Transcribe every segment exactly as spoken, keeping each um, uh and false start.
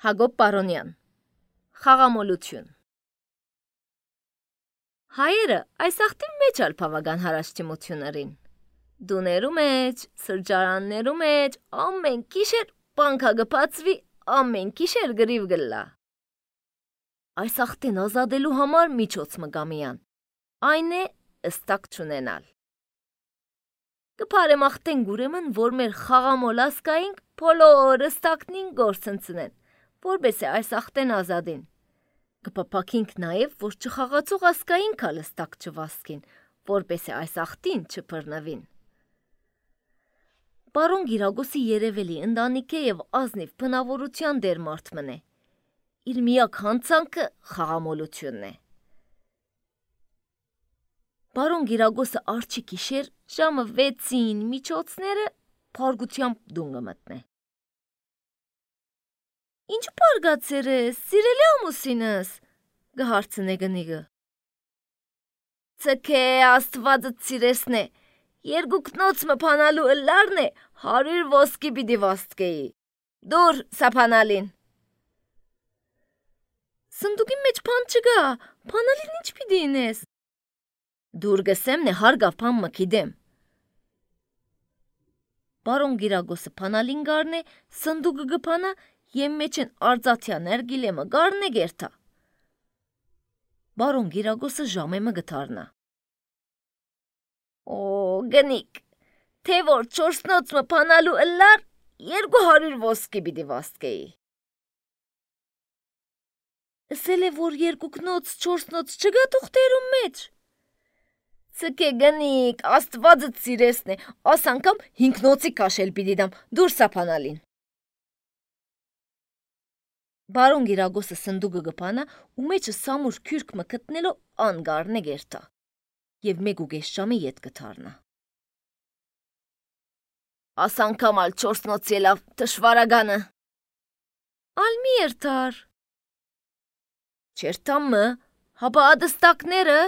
Հակոբ Պարոնյան Խաղամոլություն Հայերը այս աղտին մեջ ալ բավական հարաշտիմություններին։ Դուներու մեջ, սրճարաններու մեջ ամեն գիշեր բանկա գբացվի, ամեն գիշեր գրիվ գլա։ Այս աղտին ազատելու համար միջոց մգամիան, այն է ըստակ չունենալ։ Կփարեմ աղտեն գուրեմն, որ մեր խաղամոլ ասկայինք բոլոր ըստակնին գործընծնեն, որպես է այս աղտեն ազադին։ Կպապակինք նաև, որ չխաղացող ասկային կալ ըստակ չվասկին, որպես է այս աղտին չպրնվին։ Պարոն Գիրագոսի երևելի ընտանիք է և ազնիվ բնավորության դեր մարդ մնե։ Իր միակ հանցանքը խաղամոլությունն է։ Պարոն Գիրագոսը արջի գիշեր ժամը վեցին միջոցները փարգությամբ դունգը մտնե։ Ինչ պարգացեր ես, սիրելի ամուսինս, գհարցնե գնիգը։ Ցքե աստվածը սիրեսնե, երկուքնոց մփանալու ըլլարն է հարյուր ոսկի պիտի վաստկեի։ Դուր սափանալին։ Սնդուկի մեջ փան չգա, փանալին ինչ պիտի ինես։ Դուր գսեմ նե հարգավ փան մքիդեմ։ Պարոն Գիրագոսը փանալին գարնե, սնդուկը գփանա Եմ մեջ են արձաթյա ներգիլեմը գարն է գերթա։ Բարոն Գիրագոսը ժամեմը գթարնա։ Օ, գնիկ, թե որ չորսնոց մը պանալու ըլլար, երկու հարյուր ոսկի պիտի վաստկեի։ Ասել է, որ երկուքնոց չորսնոց չգա թուղթերում մեջ։ Ցկե գնիկ, աստվածը սիրեսն է, աս անգամ հինգնոցի կաշել պիտի դամ, դուր սափանալին։ Բարոն Գիրագոսը սնդուկը գփանա ու մեջը սամուր քյուրք մը գտնելով անգարն է գերտա և մեկ ու կես ժամի ետ գթարնա։ Աս անգամ ալ չորսնոց ելավ թշվարագանը։ Ալ մի երթար։ Չերտամը, հապա ադստակները։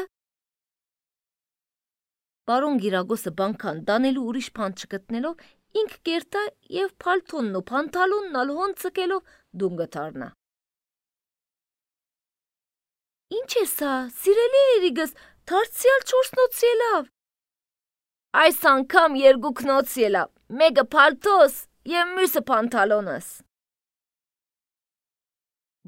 Բարոն Գիրագոսը բանկան դանելու ուրիշ փան չգտնելով ինք գերտա և պալթոնն ու պանթալոնն ալ հոն ցկելով դուն գթարնա։ Ինչ է սա, սիրելի երիգս, դարձյալ չորսնոց ելավ։ Այս անգամ երկուքնոց ելավ, մեկը պալթոս և մյուսը պանթալոնս։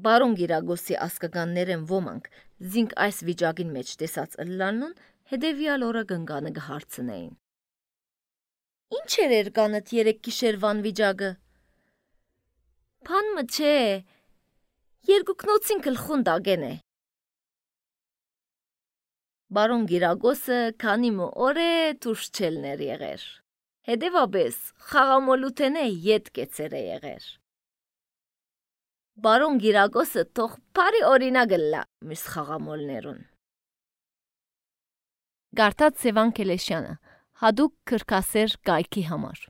Բարոն Գիրագոսի ասկականներեն ոմանք զինք այս վիճակին մեջ տեսած ըլլանուն հետևյալ օրը գնգանը գհարցնեին։ Ինչ էր երկանըտ երեք գիշերվան վիճակը։ Փան մը չէ, երկուքնոցին գլխուն դագեն է։ Բարոն Գիրագոսը քանի մը օր է դուրս չելներ եղեր։ Հետևաբես խաղամոլութենե ետ կեցեր է եղեր։ Բարոն Գիրագոսը թող բարի օրինակ ըլլա մյուս խաղամոլներուն։ Գարտած Սևան Քելեշյանը, հադուկ քրքասեր կայքի համար։